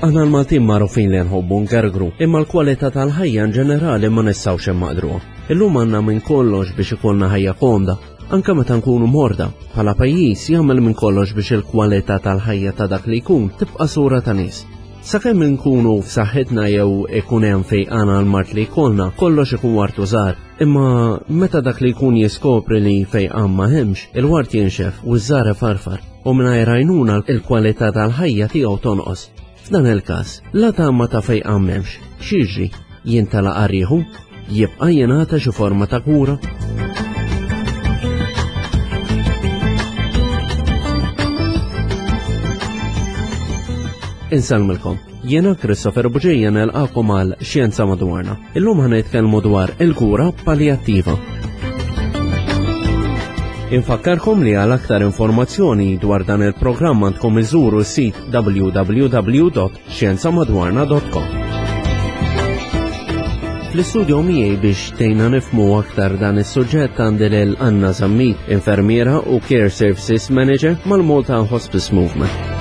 Aħna l-Maltin magħrufin li nħobbu ngergru, imma l-kwalità tal-ħajja in ġenerali ma nistgħux immaqdruha. Illum għandna minn kollox biex ikollna ħajja komda, anke meta nkunu morda. Bħala pajjiż jagħmel minn kollox biex il-kwalità tal-ħajja ta' dak li jkun tibqa' sura ta' nies. Sakemm inkunu f'saħħitna jew ikun hemm fejqan għal mart li jkollna, kollox ikun wartu żgħar. Imma meta dak li jkun jiskopri li fejqan ma hemmx, il-wart jinxef u ż-żgħar ifarfar u mingħajr għajnuna l-kwalità tal-ħajja tiegħu tonqos. F'dan il-każ, la tama ta' fejqan m'hemmx, x'jiġri? Jintelaq għarrieħu? Jibqa' jingħata xi forma ta' kura? Insellmilkom. Jiena Christopher Buġija nelqakom għal Xjenza Madwarna. Illum ħa nitkellmu dwar il-kura paljattiva. Infakkarkom li għal aktar informazzjoni dwar dan il-programm għandkom iżuru s-sit www.xjenzamadwarna.com. Fl-istudio miegħi biex tgħinna nifmu aktar dan is-suġġett għandi lil Anna Zammit, infermiera u Care Services Manager mal-Malta Hospice Movement.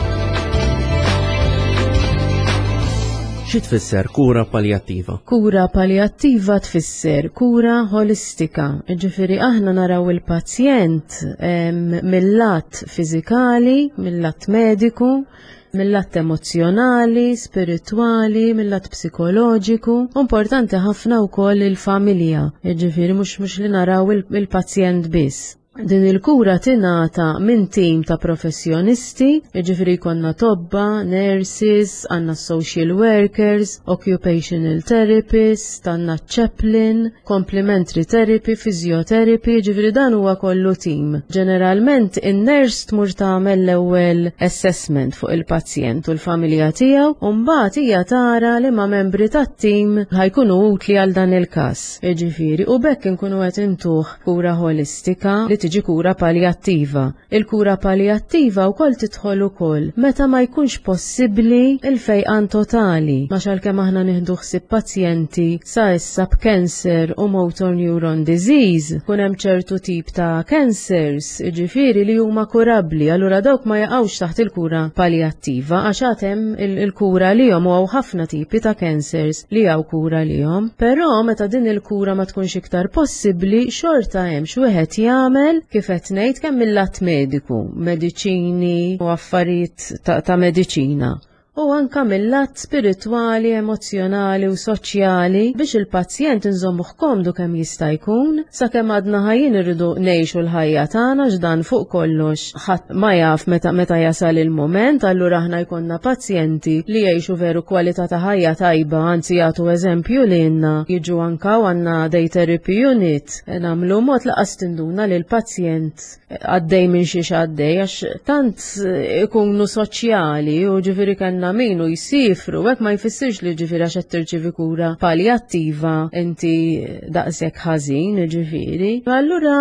Xi tfisser kura paljattiva? Kura paljattiva tfisser kura ħolistika. Ġifieri aħna naraw il-pazjent mill-lat fiżikali, mill-lat mediku, mill-lat emozzjonali, spiritwali, mill-lat psikoloġiku. Importanti ħafna wkoll il-familja, ġifieri mhux mhux li naraw il-pazjent biss. Din il-kura tingħata minn tim ta' professjonisti, jiġifieri jkollna tobba, nurses, għandna social workers, occupational therapist, għandna chaplain, complementary therapy, physiotherapy, jiġifieri dan huwa kollu tim. Ġeneralment in-nurse tmur tagħmel l-ewwel assessment fuq il-pazjent u l-familja tiegħu u mbagħad hija tara li ma' membri tat-tim ħajkunu utli għal dan il-każ. Jiġifieri u b'hekk inkunu qed intuh kura ħolistika li tiġi kura paljattiva. Il-kura paljattiva wkoll tidħol ukoll meta ma jkunx possibbli il-fejqan totali, għax għalkemm aħna nieħdu ħsieb pazjenti sa issa b'cancer u motor neuron disease, kun hemm ċertu tip ta' cancers, jiġifieri li huma kurabbli, allura dawk ma jaqgħux taħt il-kura paljattiva għax għad hemm il-kura għalihom u hawn ħafna tipi ta' cancers li hawn kura għalihom. Però meta din il-kura ma tkunx iktar possibbli, xorta hemm x'wieħed jagħmel kif qed ngħid kemm mill-lat mediku, mediċini u affarijiet ta', ta mediċina u anka mill-lat spiritwali, emozzjonali u soċjali biex il-pazjent inżommuh komdu kemm jista' jkun sakemm għadna ħajjin irridu ngħixu l-ħajja tagħna x'dan fuq kollox ħadd ma jaf meta meta jasal il-mument, allura aħna jkollna pazjenti li jgħixu veru kwalità ta' ħajja tajba, anzi jagħtu eżempju lilna, jiġu anka u għandna day therapy unit, nagħmlu mod laqas tinduna li l-pazjent għaddej minn xiex għaddej, għax tant ikunu soċjali u ġifieri kellna min u jsifru, hekk ma jfissirx li ġifieri għax qed tirċievi kura paljattiva inti daqshekk ħażin, ġifieri. Allura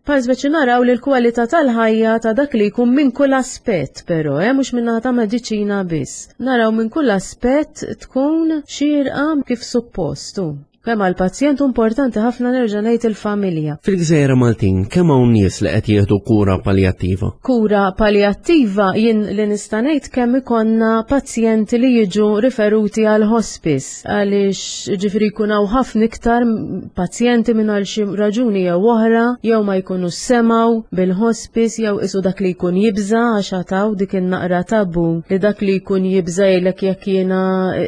bħal speċi naraw li l-kwalità tal-ħajja ta' dak li jkun minn kull aspett però, eh, mhux minn ta' mediċina biss. Naraw minn kull aspett tkun xierqa kif suppostu. Kemm għall-pazjent importanti ħafna nerġa' ngħid il-familja. Fil-Gżejjer Maltin kemm hawn nies li qed jieħdu kura paljattiva? Kura paljattiva jien li nista' ngħid kemm ikonna pazjenti li jiġu riferuti għal hospice għaliex ġifiri jkun hawn ħafna iktar pazjenti minn għal xi raġuni jew oħra jew ma jkunu semgħu bil-hospice jew isu dak li jkun jibża għax għataw dik in-naqra tabu li dak li jkun jibża jgħidlek jekk jiena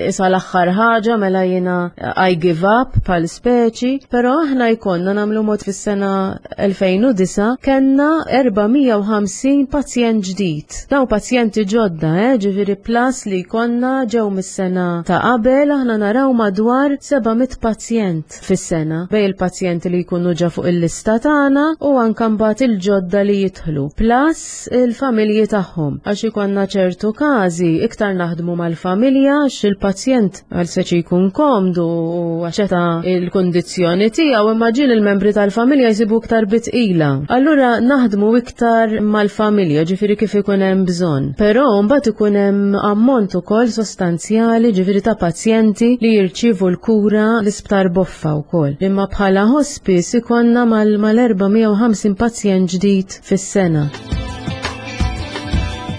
isa l-aħħar ħaġa mela jiena I give up bħal speċi, però aħna jkollna nagħmlu mod fis-sena 2009 kellna 450 pazjent ġdid. Daw pazjenti ġodda, eh, ġifieri plus li jkollna ġew mis-sena ta' qabel aħna naraw madwar 700 pazjent fis-sena bej il-pazjenti li jkunu ġa fuq il-lista tagħna u anke mbagħad il-ġodda li jidħlu. Plus il-familji tagħhom għax ikollna ċertu każi iktar naħdmu mal-familja għax il-pazjent għal seċi jkun komdu u għaxeta il-kondizjoni tiegħu imma ġiel il-membri tal-familja jsibu iktar bitqila. Allura naħdmu iktar mal-familja, ġifieri kif ikun hemm bżonn. Però mbagħad ikun hemm ammont ukoll sostanzjali ġifieri ta' pazjenti li jirċievu l-kura l-isptar Boffa wkoll. Imma bħala hospice ikonna mal-450 pazjent ġdid fis-sena.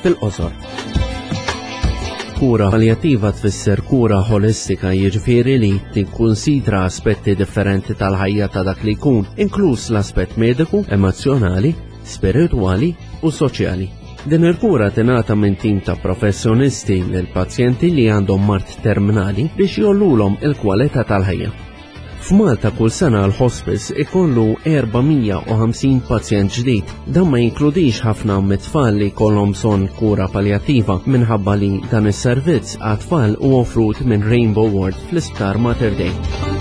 Fil-qosor. Kura paljattiva tfisser kura ħolistika jiġifieri li tikkunsidra aspetti differenti tal-ħajja ta' dak li jkun, inkluż l-aspett mediku, emozzjonali, spiritwali u soċjali. Din il-kura tingħata minn tim ta' professjonisti lil pazjenti li għandhom mard terminali biex jollulhom il-kwalità tal-ħajja. F'Malta kull sena l-hospice ikollu 450 pazjent ġdid. Dan ma jinkludix ħafna mit-tfal li jkollhom bżonn kura paljattiva minħabba li dan is-servizz għat-tfal hu offrut minn Rainbow Ward fl-Isptar Mater Dei.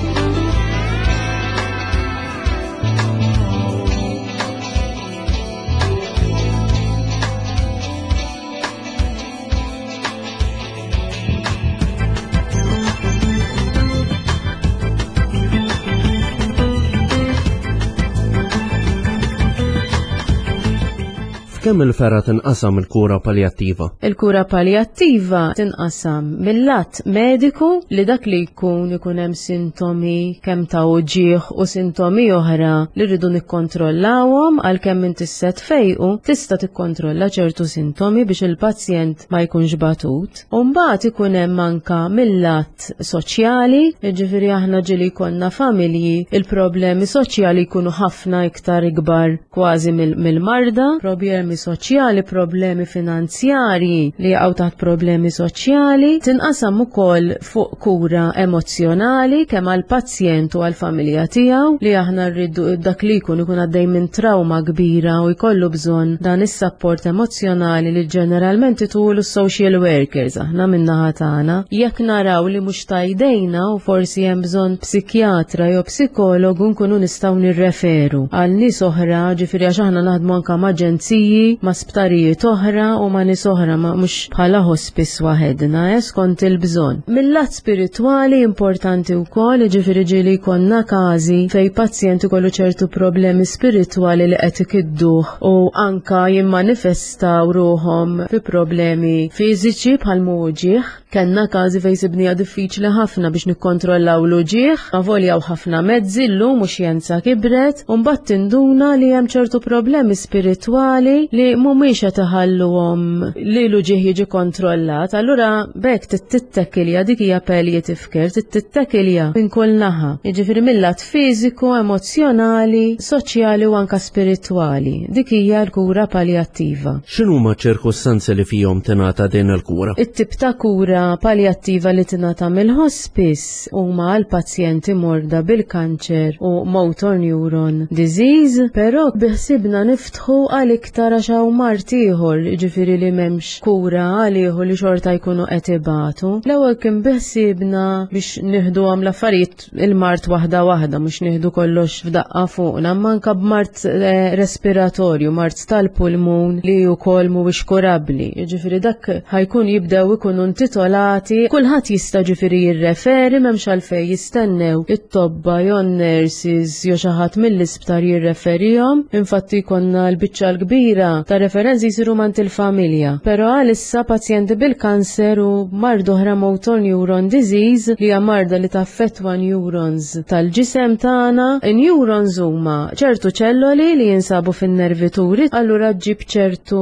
F'kemm il-fergħa tinqasam il-kura paljattiva? Il-kura paljattiva tinqasam mill-lat mediku li dak li jkun ikun hemm sintomi kemm ta' uġigħ u sintomi oħra li rridu nikkontrollawhom għalkemm inti se tfejqu tista' tikkontrolla ċertu sintomi biex il-pazjent ma jkunx batut. U mbagħad ikun hemm anka mill-lat soċjali, jiġifieri aħna ġieli jkollna familji, il-problemi soċjali jkunu ħafna iktar ikbar kważi mill-marda, problemi soċjali, problemi finanzjarji li jaqgħu taħt problemi soċjali, tinqasam ukoll fuq kura emozzjonali kemm għall-pazjent u għall-familja tiegħu li aħna rridu dak li jkun ikun għaddej minn trauma kbira u jkollu bżonn dan is-sapport emozzjonali li ġeneralment itulu social workers aħna min-naħa tagħna. Jekk naraw li mhux tajdejna u forsi hemm bżonn psikjatra jew psikologu nkunu nistgħu nirreferu għal nies oħra, ġifieri għax aħna naħdmu anke ma' aġenziji, ma' sptarijiet oħra u ma' nies oħra ma' mhux bħala hospice waħedna, eh, skont il-bżonn. Mill-lat spiritwali importanti wkoll, jiġifieri ġieli jkollna każi fejn pazjent ikollu ċertu problemi spiritwali li qed ikidduh u anka jimmanifestaw ruħhom fi problemi fiżiċi bħal uġigħ. Kellna każi fejn sibniha diffiċli ħafna biex nikkontrollaw l-uġigħ, avolja hawn ħafna mezzi llum u xjenza kibret, u mbagħad tinduna li hemm ċertu problemi spiritwali li mhumiex qed iħalluhom li l-uġigħ jiġi kontrollat, allura b'hekk tittekilja dik hija palliative care, tittekilja minn kull naħa. Jiġifieri mill-lat fiżiku, emozzjonali, soċjali u anka spiritwali. Dik hija l-kura paljattiva. X'inhuma ċ-ċirkustanzi li fihom tingħata din il-kura? It-tip ta' kura paljattiva li tingħata mill-hospice huma għal pazjenti morda bil-kanċer u motor neuron disease, però biħsibna niftħu għal iktar għax hawn mard ieħor, jiġifieri li m'hemmx kura għalih u li xorta jkunu qed ibatu. L-ewwel kien biħsiebna biex nieħduhom l-affarijiet il-mard waħda waħda, mhux nieħdu kollox f'daqqa fuqna, imma anke b'mard eh, respiratorju, mard tal-pulmun li wkoll mhuwiex kurabbli. Jiġifieri dak ħajkun jibdew ikunu intitolati, kulħadd jista' ġifieri jirreferi m'hemmx għalfejn jistennew it-tobba jew nurses jew xi ħadd mill-isptar jirreferihom. Infatti jkollna l-biċċa l-kbira ta' referenzi jsiru mant il-familja. Però għalissa pazjenti bil-kanser u mard oħra motor neuron disease li hija marda li taffettwa neurons tal-ġisem tagħna. Neurons huma ċertu ċelloli li jinsabu fin-nervituri, allura ġġib ċertu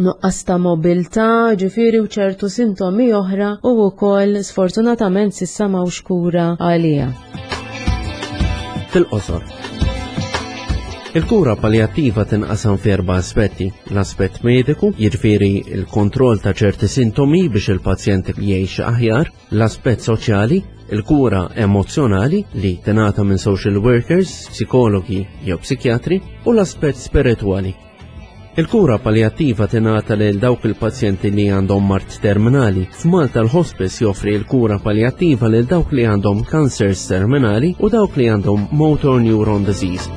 nuqqas ta' mobilità, ġifieri u ċertu sintomi oħra u wkoll sfortunatament s'issa m'hawnx kura għaliha. Fil-qosor. Il-kura paljattiva tinqasam f'erba' aspetti. L-aspett mediku, jiġifieri l-kontroll ta' ċerti sintomi biex il-pazjent jgħix aħjar, l-aspett soċjali, il-kura emozzjonali li tingħata minn social workers, psikologi jew psikjatri, u l-aspett spiritwali. Il-kura paljattiva tingħata lil dawk il-pazjenti li għandhom mard terminali. F'Malta l-hospice joffri l-kura paljattiva lil dawk li għandhom cancers terminali u dawk li għandhom motor neuron disease.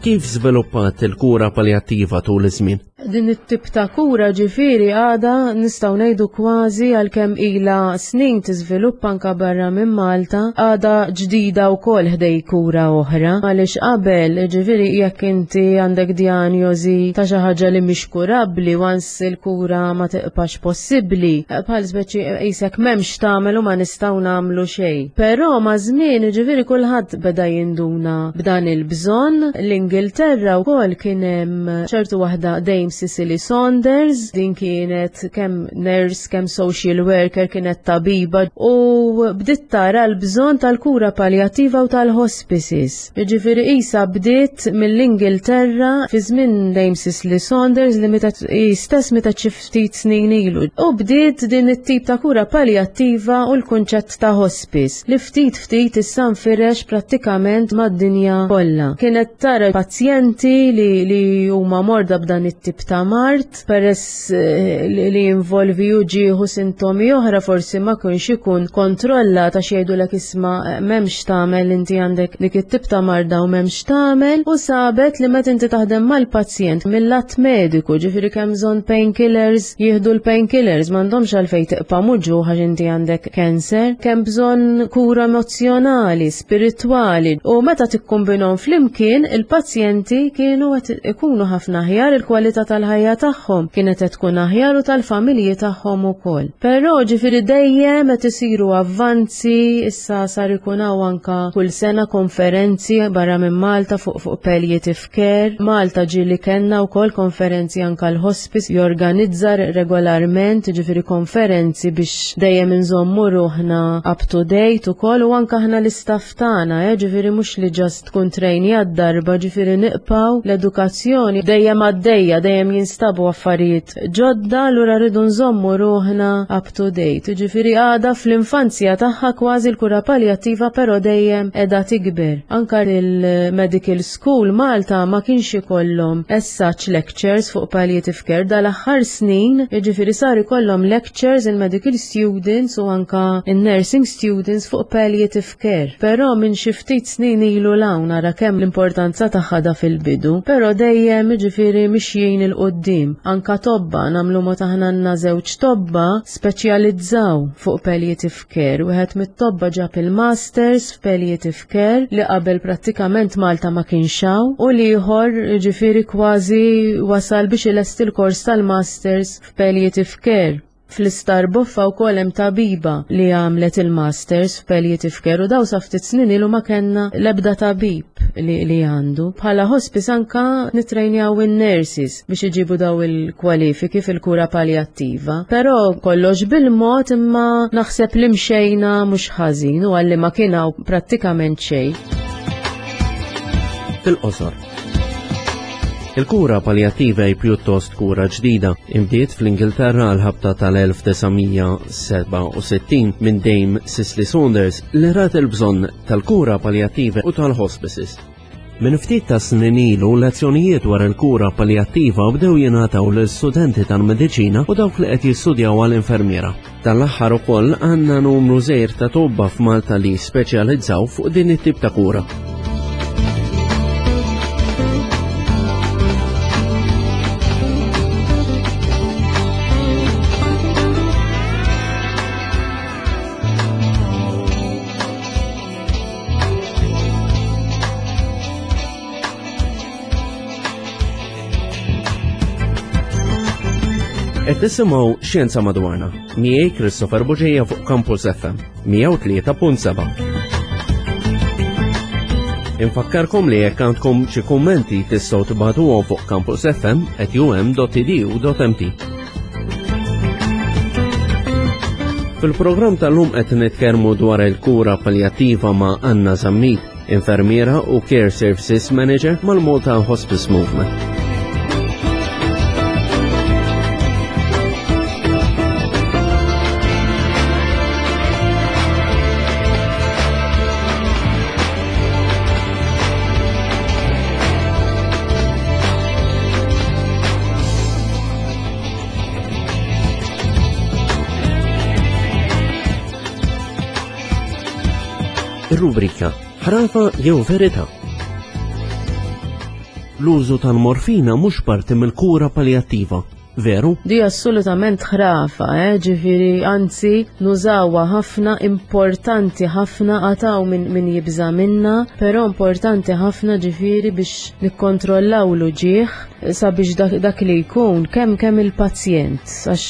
Kif żviluppat il-kura paljattiva tul iż-żmien? Din it-tip ta' kura ġifieri għadha nistgħu ngħidu kważi għalkemm ilha snin tiżviluppa anke barra minn Malta, għadha ġdida wkoll ħdej kura oħra. Għaliex qabel, ġifieri jekk inti għandek dijanjosi ta' xi ħaġa li mhix kurabbli once il-kura ma tiqpax possibbli, bħal speċi qisek m'hemmx tagħmel u ma nistgħu nagħmlu xejn. Però maż-żmien ġifieri kulħadd beda jinduna b'dan il-bżonn. L-Ingilterra wkoll kien hemm ċertu waħda Dame Cicely Saunders, din kienet kemm nurse, kemm social worker, kienet tabiba u bdiet tara l-bżonn tal-kura paljattiva u tal-hospices. Jiġifieri qisha bdiet mill-Ingilterra fi żmien Dame Cicely Saunders li meta hi stess meta xi ftit snin ilu. U bdiet din it-tip ta' kura paljattiva u l-kunċett ta' hospice li ftit ftit issa nfirex prattikament mad-dinja kollha. Kienet tara pazjenti li, li huma morda b'dan it-tip ta' mard, peress eh, li jinvolvi uġieħu sintomi oħra forsi ma kienx ikun kontrolla ta' jgħidulek isma' eh, m'hemmx tagħmel inti għandek dik it-tip ta' marda u m'hemmx tagħmel u sabet li meta inti taħdem mal-pazjent mill-lat mediku, ġifieri kemm bżonn painkillers, jieħdu l-painkillers, m'għandhomx għalfejn tiqpa' muġugħ għax inti għandek cancer, kemm bżonn kura emozzjonali, spiritwali u meta tikkombinhom flimkien il-pazjenti kienu qed ikunu ħafna aħjar il-kwalità tal-ħajja tagħhom kienet qed tkun aħjar u tal-familji tagħhom ukoll. Però ġifieri dejjem qed isiru avvanzi, issa sar ikun hawn anka kull sena konferenzi barra minn Malta fuq fuq palliative care. Malta ġieli kellna wkoll konferenzi anka l-hospice jorganizza regolarment, ġifieri konferenzi biex dejjem inżommu ruħna up to date ukoll u anka aħna l-istaff tagħna, eh, ġifieri mhux li just tkun trejni għad-darba, ġifieri niqpaw l-edukazzjoni dejjem għaddejja, dejjem jinstabu affarijiet ġodda, allura rridu nżommu ruħna up to date. Ġifieri għadha fl-infanzja tagħha kważi l-kura paljattiva però dejjem qiegħda tikber. Anka il-medical school Malta ma kienx ikollhom as such lectures fuq palliative care dal-aħħar snin, jiġifieri sar ikollhom lectures il-medical students u anka in-nursing students fuq palliative care. Però minn xi ftit snin ilu 'l hawn ara kemm l-importanza tagħha da fil-bidu, però dejjem jiġifieri mixjin 'il quddiem. Anka tobba nagħmlu mod aħna għandna żewġ tobba speċjalizzaw fuq palliative care. Wieħed mit-tobba ġab il-masters f'palliative care li qabel prattikament Malta ma kienx hawn u l-ieħor ġifieri kważi wasal biex ilesti l-kors tal-masters f'palliative care. Fl-Isptar Boffa wkoll hemm tabiba li għamlet il-masters f'palliative care u daw sa ftit snin ilu ma kellna l-ebda tabib li, li għandu. Bħala hospice anka nitrejnjaw in-nurses biex iġibu daw il-kwalifiki fil-kura paljattiva. Però kollox bil-mod imma naħseb li mxejna mhux ħażin u għalli ma kien hawn prattikament xejn. Fil-qosor. Il-kura paljattiva hi pjuttost kura ġdida. Imbdiet fl-Ingilterra għal ħabta tal-1967 minn Dame Cicely Saunders li rat il-bżonn tal-kura paljattiva u tal-hospices. Minn ftit ta' snin ilu lezzjonijiet dwar il-kura paljattiva bdew jingħataw lil studenti tal-mediċina u dawk li qed jistudjaw għal infermiera. Tal-aħħar ukoll għandna numru żgħir ta' tobba f'Malta li speċjalizzaw fuq din it-tip ta' kura. Qed tisimgħu Xjenza Madwarna miegħi Christopher Buġeja fuq Campus FM 103.7. Infakkarkom li jekk għandkom xi kummenti tistgħu tibagħtuhom fuq campusfm@um.edu.mt. Fil-programm tal-lum qed nitkellmu dwar il-kura paljattiva ma' Anna Zammit, infermiera u Care Services Manager mal-Malta Hospice Movement. Ir-rubrika Ħrafa jew Verità. L-użu tal-morfina mhux parti mill-kura paljattiva. Veru? Di assolutament ħrafa, eh? Ġifieri, anzi, nużawha ħafna, importanti ħafna, għataw min, min jibża minna, però importanti ħafna ġifieri biex nikkontrollaw l-uġieħ sabiex dak, dak li jkun kemm kemm il-pazjent, għax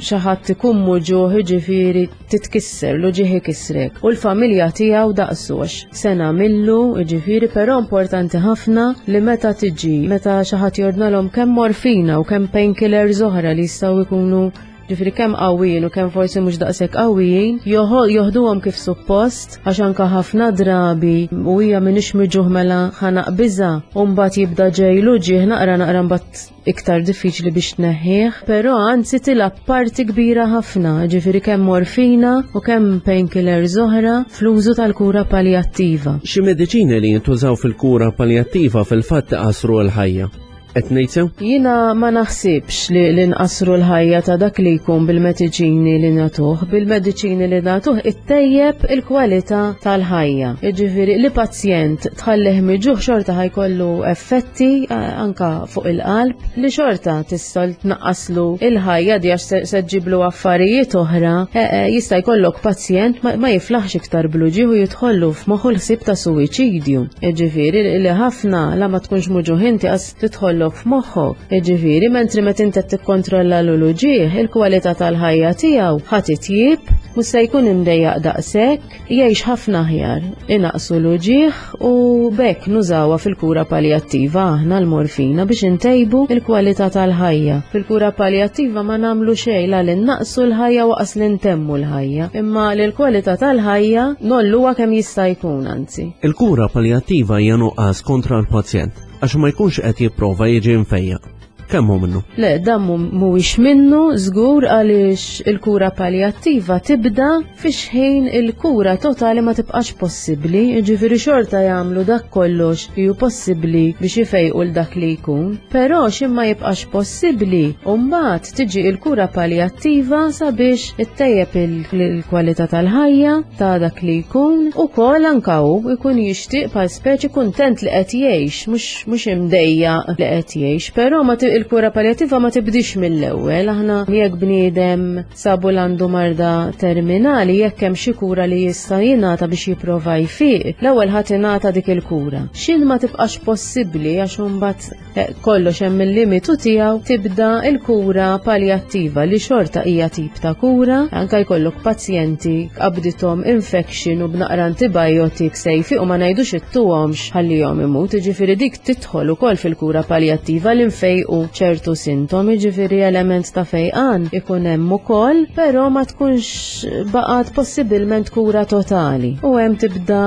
xi ħadd ikun muġuħ ġifieri titkisser, l-uġieħ ikissrek. U l-familja tiegħu daqsu għax se nagħmillu, jiġifieri, però importanti ħafna li meta tiġi, meta xi ħadd jordnalhom kemm morfina u kemm painkillers oħra li jistgħu jkunu ġifieri kemm qawwijin u kemm forsi mhux daqshekk qawwijin, joħduhom kif suppost għax anka ħafna drabi u hija m'iniex miġuħ mela ħa naqbiżha u mbagħad jibda ġej l-uġigħ naqra naqra mbagħad iktar diffiċli biex tneħħih, però anzi tilgħab parti kbira ħafna, ġifieri kemm morfina u kemm painkillers oħra fl-użu tal-kura paljattiva. Xi mediċini li jintużaw fil-kura paljattiva fil-fatt iqassru l-ħajja. Qed ngħid sew? Jiena ma naħsibx li, li nqassru l-ħajja ta' dak li jkun bil-mediċini li nagħtuh, bil-mediċini li nagħtuh ittejjeb il-kwalità tal-ħajja. Jiġifieri li pazjent tħallih miġuħ xorta ħajkollu effetti anka fuq il-qalb li xorta tista' tnaqqaslu il-ħajja di għax se ġiblu affarijiet oħra. E, e, jista' jkollok pazjent ma jiflaħx iktar bluġi u jidħollu f'moħħu l-ħsieb ta' suwiċidju. Jiġifieri li ħafna la ma tkunx muġuħ inti qas tidħollok f'moħħok. Jiġifieri mentri meta inti tikkontrolla l-uġigħ, il-kwalità tal-ħajja tiegħu ħa titjieb, mhux se jkun imdejjaq daqshekk, jgħix ħafna aħjar, inaqsu l-uġigħ u bekk nużawha fil-kura paljattiva aħna l-morfina biex intejbu il-kwalità tal-ħajja. Fil-kura paljattiva ma nagħmlu xejn la li naqsu l-ħajja waqas li ntemmu l-ħajja, imma li l-kwalità tal-ħajja nolluha kemm jista' jkun anzi. Il-kura paljattiva hija nuqqas kontra l-pazjent għax ma jkunx qed jipprova jiġi mfejjaq. Kemm hu minnu? Le, dan mhuwiex minnu żgur għaliex il-kura paljattiva tibda fi xħin il-kura totali ma tibqax possibbli, jiġifieri xorta jagħmlu dak kollox li hu possibbli biex ifejqu l dak li jkun. Però x'in ma jibqax possibbli, u mbagħad tiġi il-kura paljattiva sabiex ittejjeb il-kwalità tal-ħajja ta' dak li jkun ukoll anka hu jkun jixtieq bħal speċi kuntent li qed jgħix mhux mhux imdejjaq li qed jgħix, però ma il-kura paljativa ma tibdix mill-ewwel. Aħna jekk bniedem sabu l-għandu marda terminali, jekk hemm xi kura li jista' jingħata biex jipprova jfiq, l-ewwel ħadd ingħata dik il-kura. X'in ma tibqax possibbli għax imbagħad eh, kollox hemm il-limitu tiegħu tibda il-kura paljattiva li xorta hija tip ta' kura, anka jkollok pazjenti qabdithom infection u b'naqra antibiotics se jfiqu ma ngħidux ittuhomx ħallihom imut, jiġifieri dik tidħol ukoll fil-kura paljattiva li nfejqu ċertu sintomi, jiġifieri element ta' fejqan ikun hemm ukoll, però ma tkunx baqgħet possibilment kura totali u hemm tibda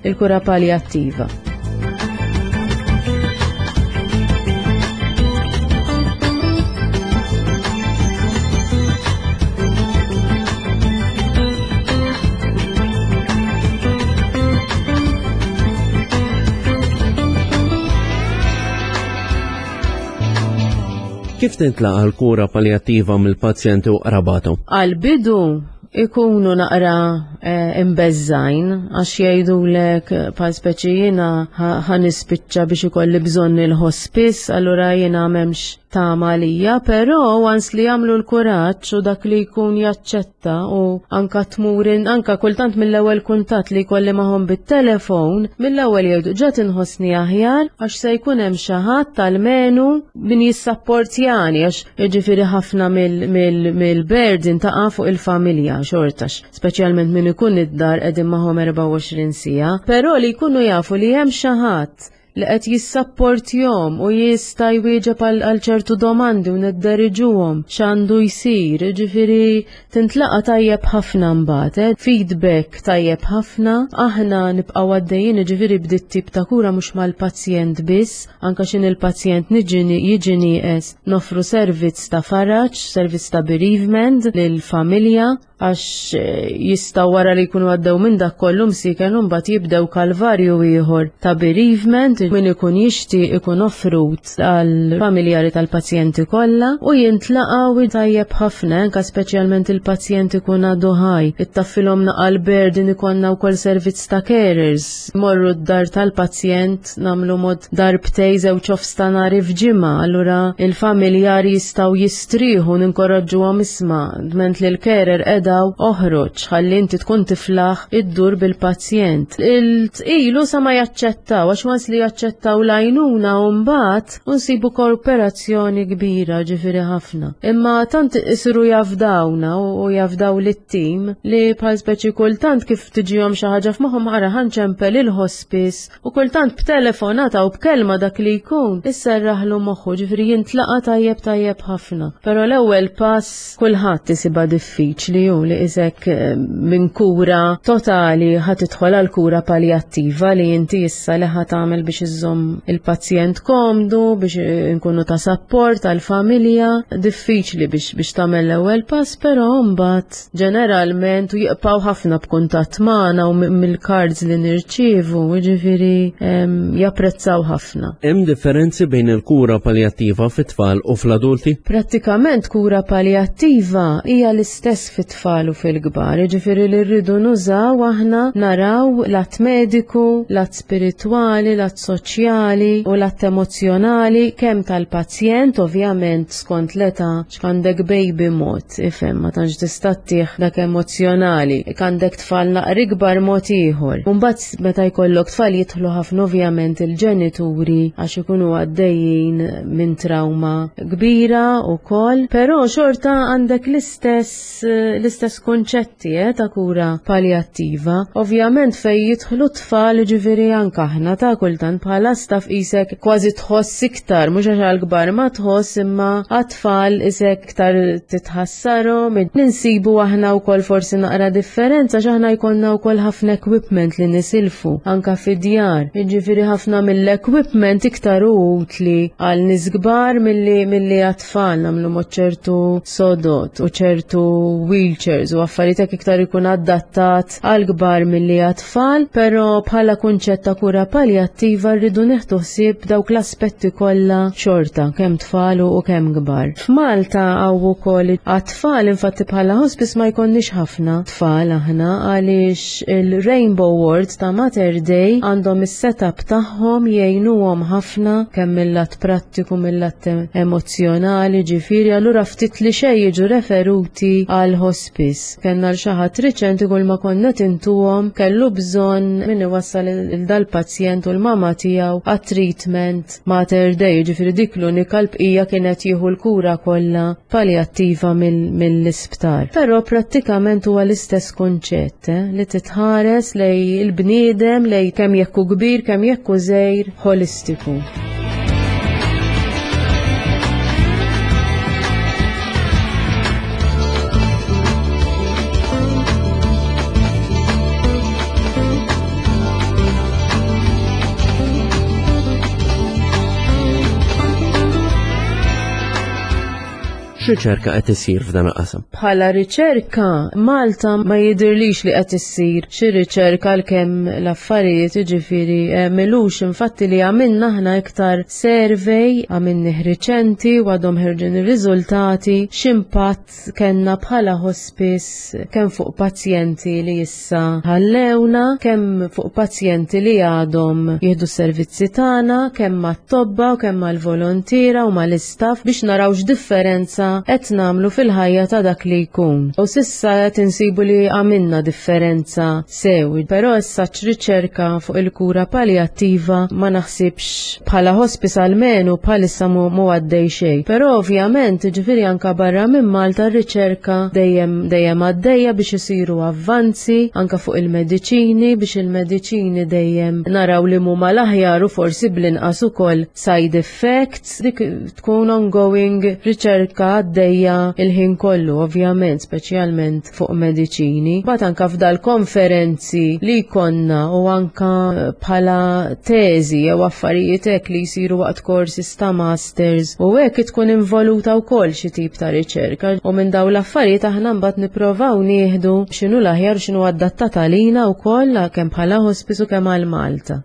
il-kura paljattiva. Kif tintlaqa l-kura paljattiva mill-pazjenti u qrabathom? Għal-bidu ikunu naqra eh, imbeżżajn għax jgħidulek eh, bħal speċi jiena ħa nispiċċa biex ikolli bżonn il-hospice, allura jiena m'hemmx tama għalija, però once li jagħmlu l-kuraġġ u dak li jkun jaċċetta u anka tmurin, anka kultant mill-ewwel kuntatt li jkolli magħhom bit-telefon, mill-ewwel jgħidu ġa tinħossni aħjar għax se jkun hemm xi ħadd almenu min jissapportjani għax jiġifieri ħafna mill-burden taqa' fuq il-familja xortax, speċjalment min ikun id-dar qegħdin magħhom 24 siegħa, però li jkunu jafu li hemm xi ħadd li qed jissapportjhom u jista' jwieġeb għal ċertu domandi u nidderiġuhom x'għandu jsir, jiġifieri tintlaqa' tajjeb ħafna mbagħad, eh? feedback tajjeb ħafna, aħna nibqgħu għaddejjin jiġifieri b'dit tip ta' kura mhux mal-pazjent biss, anke x'in il-pazjent jiġi nieqes noffru servizz ta' faraġ, servizz ta' bereavement lill-familja għax eh, jistgħu wara li jkunu għaddew minn dak kollu msiken u mbagħad jibdew kalvarju ieħor ta' bereavement, min ikun jixtieq ikun offrut għal familjari tal-pazjenti kollha u jintlaqgħu tajjeb ħafna anke speċjalment il-pazjent ikun għadu ħaj. Ittaffilhom naqa' l-burden ikollna wkoll servizz ta' carers. Morru d-dar tal-pazjent nagħmlu mod darbtej żewġ stanari f'ġimgħa, allura il-familjari jistgħu jistrieħu ninkoraġġuhom isma' dment li l-carer edaw oħroġ ħalli inti tkun tiflaħ iddur bil-pazjent. Il-tqilu sa ma jaċċettaw għax once li jaċċettaw l-għajnuna u mbagħad nsibu kooperazzjoni kbira ġifieri ħafna. Imma tant isiru jafdawna u jafdaw lit-tim li bħal speċi kultant kif tiġihom xi ħaġa f'moħħhom ara ħanċempel il-hospice U kultant b'telefonata u b'kelma dak li jkun, isserraħlu moħħu, ġifieri jintlaqa' tajjeb tajjeb ħafna. Però l-ewwel pass kulħadd isibha diffiċli hu li isek eh, minn kura totali ħa tidħol għal kura paljattiva li inti issa li ħa tagħmel biex iżżomm il-pazjent komdu, biex eh, nkunu ta' sapport għall-familja, diffiċli biex biex tagħmel l-ewwel pass, però mbagħad ġeneralment u jiqpaw ħafna b'kuntatt magħna u mill-cards li nirċievu, jiġifieri japprezzaw ħafna. Hemm differenzi bejn il-kura paljattiva fit-tfal u fl-adulti? Prattikament kura paljattiva hija l-istess fit-tfal u fil-kbar, jiġifieri li rridu nużaw aħna naraw l-att mediku, l-att spiritwali, l-att soċjali u l-att emozzjonali kemm tal-pazjent ovvjament skont l-età X'għandek baby mod, ifhem, ma tantx tista' ttih dak emozzjonali. Għandek tfal naqra ikbar mod ieħor. Mbagħad meta jkollok tfal jidħlu ħafna ovvjament il-ġenituri għax ikunu għaddejjin minn trauma kbira wkoll, però xorta għandek l-istess l-istess kunċetti eh, ta' kura paljattiva. Ovvjament fej jidħlu tfal ġifieri anke aħna ta' kultant bħala staff isek kważi tħoss iktar, mhux għax għall-kbar ma tħoss imma għat-tfal isek iktar titħassarhom. Ninsibu aħna wkoll forsi naqra differenza għax aħna jkollna wkoll ħafna equipment li nisilfu anka fid-djar. Jiġifieri ħafna mill-equipment iktar hu utli għal nies kbar milli milli għat-tfal nagħmlu mod ċertu sodot u ċertu wheelchairs u affarijiet hekk iktar ikun adattat għal kbar milli għat-tfal, però bħala kunċett ta' kura paljattiva rridu neħdu ħsieb dawk l-aspetti kollha xorta kemm tfal u kemm kbar. F'Malta hawn ukoll għat-tfal infatti bħala hospice ma jkollniex ħafna tfal aħna għaliex il-Rainbow Ward ta' Mater Dei għandhom is-setup tagħhom jgħinuhom ħafna kemm mill-lat prattiku mill-lat emozzjonali ġifieri allura ftit li xejn jiġu referuti għal hospice. Kellna l xi ħadd riċenti kull ma konna tintuhom kellu bżonn min iwassal il dal-pazjent u l-mama tiegħu għat-treatment Mater Dei, ġifieri dik l-unika l-bqija kienet jieħu l-kura kollha paljattiva mill-isptar. Però prattikament huwa l-istess kunċett eh, li titħares lej il-bniedem lej kemm jekk hu kbir, kemm jekk hu żgħir holistiku. X'riċerka qed issir f'dan il-qasam? Bħala riċerka, Malta ma jidirlix li qed issir xi riċerka għalkemm l-affarijiet jiġifieri eh, milux infatti li għamilna aħna iktar survey għamilnih riċenti u għadhom ħerġin ir-riżultati x'impatt kellna bħala hospice kemm fuq pazjenti li issa ħallewna, kemm fuq pazjenti li għadhom jieħdu s-servizzi tagħna, kemm mat-tobba u kemm mal-volontiera u mal-istaff biex naraw x'differenza qed nagħmlu fil-ħajja ta' dak li jkun. U sissa qed insibu li għamilna differenza sew, però issa riċerka fuq il-kura paljattiva ma naħsibx bħala hospice almenu bħalissa mu għaddej xejn. Però ovvjament, ġifieri anka barra minn Malta r-riċerka dejjem dejjem għaddejja biex isiru avvanzi anka fuq il-mediċini biex il-mediċini dejjem naraw li huma l-aħjar u forsi bl-inqas ukoll side effects dik tkun ongoing riċerka għaddejja il-ħin kollu ovvjament speċjalment fuq mediċini. Bat anka f'dal konferenzi li jkollna u anka bħala teżi jew affarijiet hekk li jsiru waqt courses ta' masters u hekk tkun involuta wkoll xi tip ta' riċerka u minn dawn l-affarijiet aħna mbagħad nipprovaw nieħdu x'inhu l-aħjar x'inhu adattat għalina wkoll kemm bħala hospice u kemm għal Malta.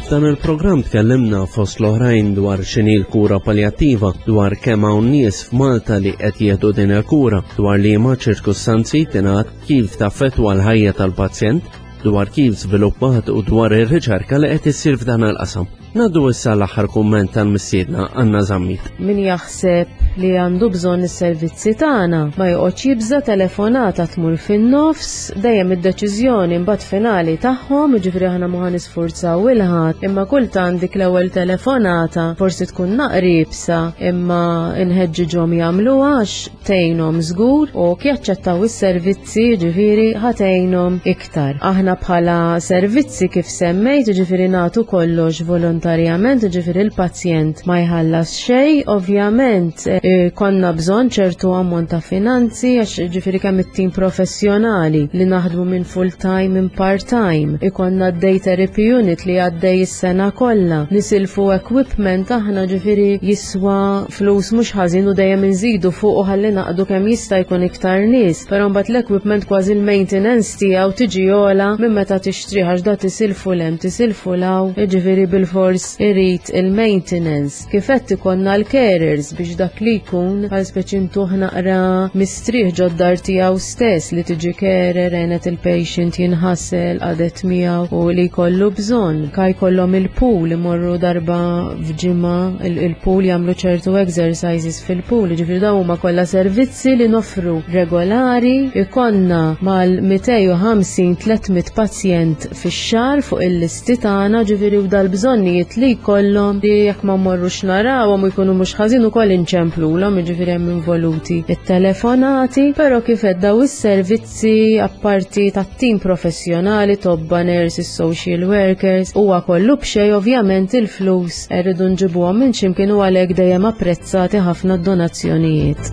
F'dan il-programm tkellimna fost l-oħrajn dwar x'inhi l-kura paljattiva, dwar kemm hawn nies f'Malta li qed jieħdu din il-kura, dwar liema ċirkustanzi tingħad kif taffettwa l-ħajja tal-pazjent, dwar kif żviluppat u dwar ir-riċerka li qed issir f'dan il-qasam. Naddu issa l-aħħar kumment tal-missiedna Anna Zammit. Min jaħseb li għandu bżonn is-servizzi tagħna ma joqgħodx jibża telefonata tmur fin-nofs, dejjem id-deċiżjoni mbagħad finali tagħhom, jiġifieri aħna ma nisfurzaw il-ħadd, imma kultant dik l-ewwel telefonata forsi tkun naqribsa imma nħeġġiġhom jagħmluha għax tgħinhom żgur u jaċċettaw is-servizzi ġifieri ħatejnhom iktar. Aħna bħala servizzi kif semmejt ġifieri nagħtu kollox volontarjament, ġifieri l-pazjent ma jħallas xejn, ovvjament eh, konna bżonn ċertu ammont ta' finanzi għax ġifieri kemm it-tim professjonali li naħdmu minn full time minn part time, ikonna d-day therapy unit li għaddej is-sena kollha, nisilfu equipment aħna ġifieri jiswa flus mhux ħażin u dejjem inżidu fuq u ħalli naqdu kemm jista' jkun iktar nies, però mbagħad l-equipment kważi l-maintenance tiegħu tiġi ogħla minn meta tixtrih għax da tisilfu l hemm tisilfu 'l hawn, jiġifieri bilfors irid il-maintenance. Kif qed ikollna l-carers biex dak li jkun bħal speċi ntuh naqra mistrieħ ġod-dar tiegħu stess li tiġi carer għenet il-patient jinħasel qadet miegħu u li jkollu bżonn. Ka jkollhom il-pool imorru darba f'ġimgħa il-pool jagħmlu ċertu exercises fil-pool, ġifieri dawn huma kollha servizzi li nofru regolari, ikonna mal-250-300 pazjent fix-xahar fuq il-listi tagħna, ġifieri u dal-bżonnijiet li jkollhom li jekk ma mmorrux narawhom u jkunu mhux ħażin ukoll inċemplulhom, jiġifieri hemm involuti it-telefonati, però kif qed daw is-servizzi servizzi apparti tat-tim professjonali, tobba, nurses, social workers, huwa kollu b'xejn ovvjament il-flus rridu nġibuhom minn x'imkien u għalhekk dejjem apprezzati ħafna d-donazzjonijiet.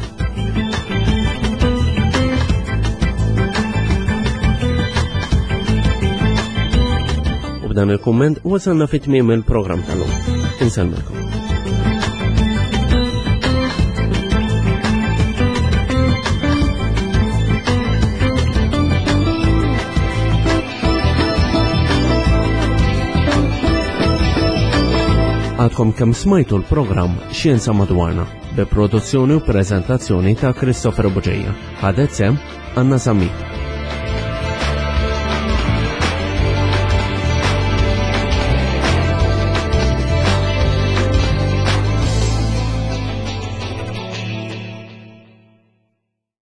U b'dan il-kumment wasalna fit tmiem il-programm tal-lum. Insellmilkom. Għadkom kemm smajtu l-programm Xjenza Madwarna bi produzzjoni u prezentazzjoni ta' Christopher Buġeja. Ħadet sem Anna Samit.